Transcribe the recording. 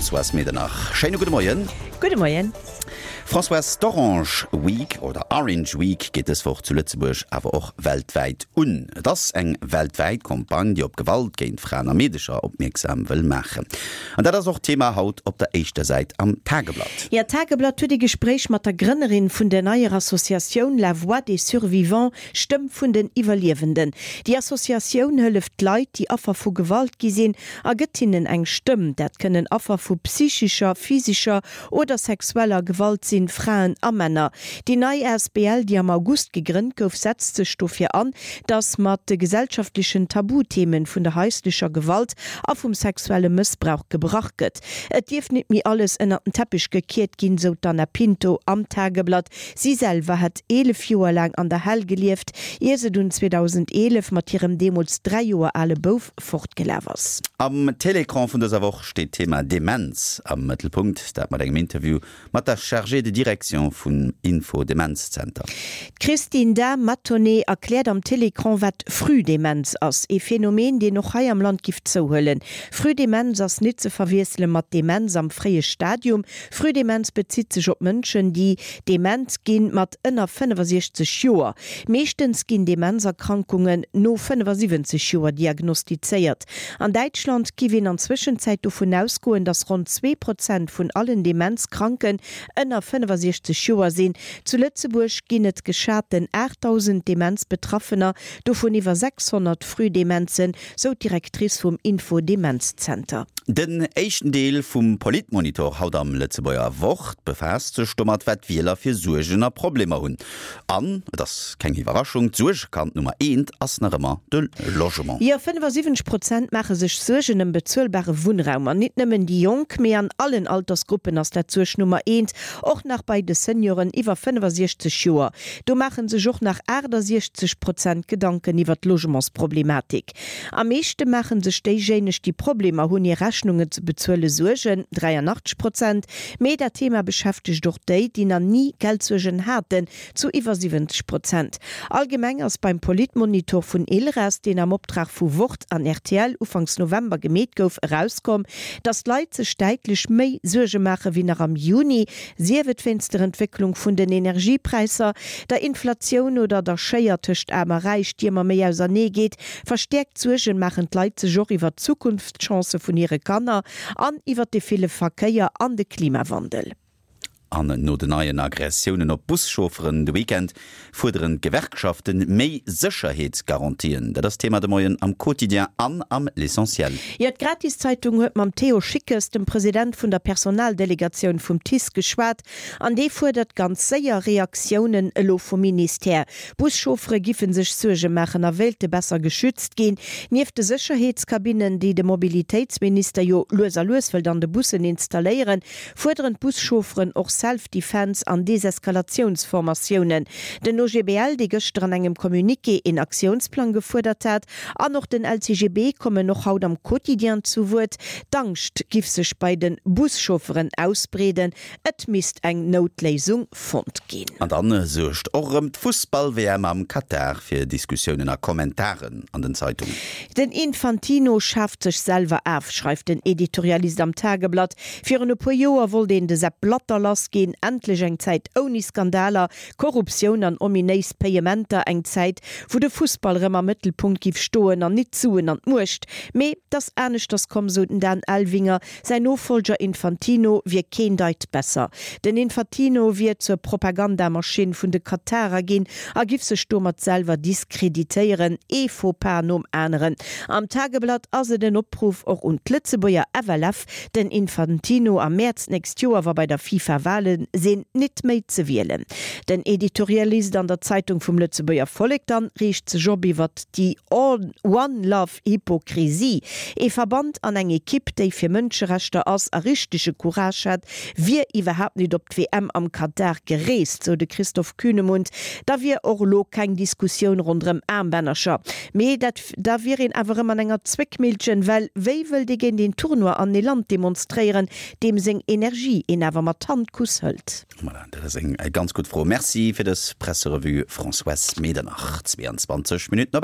Françoise Medernach. Schéine gudde Moien. Gudde Moien. Françoise, d'Orange Week oder Orange Week geet dës Woch zu Lëtzebuerg, awer och weltwäit un. Et ass eng weltwäit Campagne, déi op Gewalt géint Fraen a Meedecher opmierksam wëll maachen. An dat ass och Thema haut op der éischter Säit am Tageblatt. Jo, d'Tageblatt huet ee Gespréich mat der Grënnerin vun der neier Associatioun La Voix des Survivants, Stëmm vun den Iwwerliewenden. Déi Associatioun hëlleft Leit, déi Affer vu Gewalt gi sinn, a gëtt hinnen eng Stëmm. Dat kënnen Affer vu psychescher, physescher oder sexueller Gewalt sinn, Fraen a Männer. Déi nei asbl, déi am August gegrënnt gouf, setzt sech dofir an, datt mat de gesellschaftlechen Tabuthemen vun der haislecher Gewalt a vum sexuelle Mëssbrauch gebrach gëtt. Et dierf nit méi alles ënnert den Teppich gekiert ginn, sou d'Anna Pinto am Tageblatt. Si selwer hätt 11 Joer laang an der Hell gelieft, ier se dunn 2011 mat hirem deemools 3 Joer ale Bouf fortgelaf ass. Am Télécran vun dëser Woch steet d'Thema Demenz am Mëttelpunkt, dat mat engem Interview mat der Chargée de direction vum Info-Demenz-Zenter. D'Christine Dahm-Mathonnet erkläert am Télécran, wat Frühdemenz ass, ee Phänomen, deen och hei am Land giff zouhuelen. Frühdemenz ass nit ze verwiessele mat Demenz am fréie Stadium. Frühdemenz bezitt sech op Mënschen, déi dement ginn mat ënner 65 Joer. Meeschtens ginn Demenzerkrankungen no 75 Joer diagnostizéiert. An Däitschland giff een an Zwëschenzäit dovun ausgoen, datt ronn 2 Prozent vun allen Demenzkranken ënner 65 Joer sinn. Zu Lëtzebuerg ginn et geschaten 8.000 Demenzbetraffener, dovun iwwer 600 Frühdemenzen, sou d'Directrice vum Info-Demenz-Zenter. Den éischten Deel vum Politmonitor haut am Lëtzebuerger Wort befaasst sech domat, wat d'Wieler fir Suergen a Problemer hunn. An, et ass keng Iwwerraschung, d'Suergekand Nummer eent ass nach ëmmer de Logement. Jo, 75 Prozent maache sech Suergen ëm bezuelbare Wunnraum. An nit nëmmen déi Jonk, mee an allen Altersgruppen ass dat d'Suerg Nummer eent, och nach bei de Senioren iwwer 65 Joer. Do maache sech och nach 68 Prozent Gedanken iwwer d'Logementsproblematik. Am meeschte maache sech déijéineg, déi Problemer hunn, hir Rechnungen ze bezuelen, Suergen, 83 Prozent. Mee dat Thema beschäftegt och déi, déi nach ni Geldsuergen haten, zu iwwer 70 Prozent. Allgemeng ass beim Politmonitor vun ILRAS, deen am Optrag vu Wort an rtl ufanks November gemeet gouf, erauskomm, datt d'Leit sech däitlech méi Suerge maache wéi nach am Juni, Sief et wéinst der Entwécklung vun den Energiepräisser, der Inflatioun oder der Schéier tëscht Aarm a Räich, déi ëmmer méi ausernee geet. Verstäerkt Suergen maachen d'Leit sech och iwwer d'Zukunftschancë vun hire Kanner an iwwer de ville Verkéier an de Klimawandel. An no den neien Aggressiounen op Buschaufferen de Weekend fuerderen d'Gewerkschaften méi Sécherheetsgarantien. Dat ass Thema de Moien am Quotidien an am L'Essentiel. Jo, d'Gratiszeitung huet mam Théo Schickes, dem President vun der Personaldelegatioun vum TICE geschwat an dee fuerdert ganz séier Reaktiounen elo vum Ministère. Buschauffere giffe sech Suerge maachen a wéilte besser geschützt ginn. Nieft de Sécherheetskabinnen, déi de Mobilitéitsminister jo lues a lues wëllt an de Bussen installéieren, fuerderen d'Buschaufferen och Self-Defense an Deseskalatiounsformatiounen. Den OGBL, dee gëschter an engem Communiqué een Aktiounsplang gefuerdert hat, an och den LCGB kommen och haut am Quotidien zu Wuert. D'Angscht giff sech bei de Buschaufferen ausbreeden, et misst eng Noutléisung fonnt ginn. An dann suergt och erëm d'Fussball-WM am Katar fir Diskussiounen a Kommentaren an den Zeitungen. Den Infantino schaaft sech selwer af, schreift den Editorialist am Tageblatt. Virun e puer Joer wollt een de Sepp Blatter lass ginn, endlech eng Zäit ouni Skandaler, Korruptioun an ominéis Payementer, eng Zäit wou de Fussball rëm am Mëttelpunkt giff stoen an nit d'Suen an d'Muecht. Mee t'ass aneschters komm, sou den Dan Elvinger. Säin Nofolger Infantino wier keen Deit besser. Den Infantino wier zur Propagandamaschinn vun de Katarer ginn a giff sech domat selwer diskreditéieren, ee Faux-pas nom aneren. Am Tageblatt ass et en Opruff och un d'Lëtzebuerger FLF, den Infantino am Mäerz d'nächst Joer, wa bei der FIFA Wale sinn, nit méi ze wielen. Den Editorialist an der Zeitung vum Lëtzebuerger Vollek dann reegt sech op iwwert déi One Love Hypokrisie. Ee Verband an eng Ekipp, déi fir Mënscherechter ass a richtege Courage hätt, wier iwwerhaapt nit op d'WM am Katar gereest, sou de Christoph Kühnemund. Da wier och elo keng Diskussioun ronderëm Aarmbännercher. Mee dat da wier een awer erëm an enger Zwéckmillchen, well wéi wëllt ee géint een Tournoi an ee Land demonstréieren, deem seng Energie een awer mat Handkuss hëlt? Voilà, dat ass eng ganz gutt Fro. Merci fir dës Presserevue, Françoise Medernach. 22 Minutten op.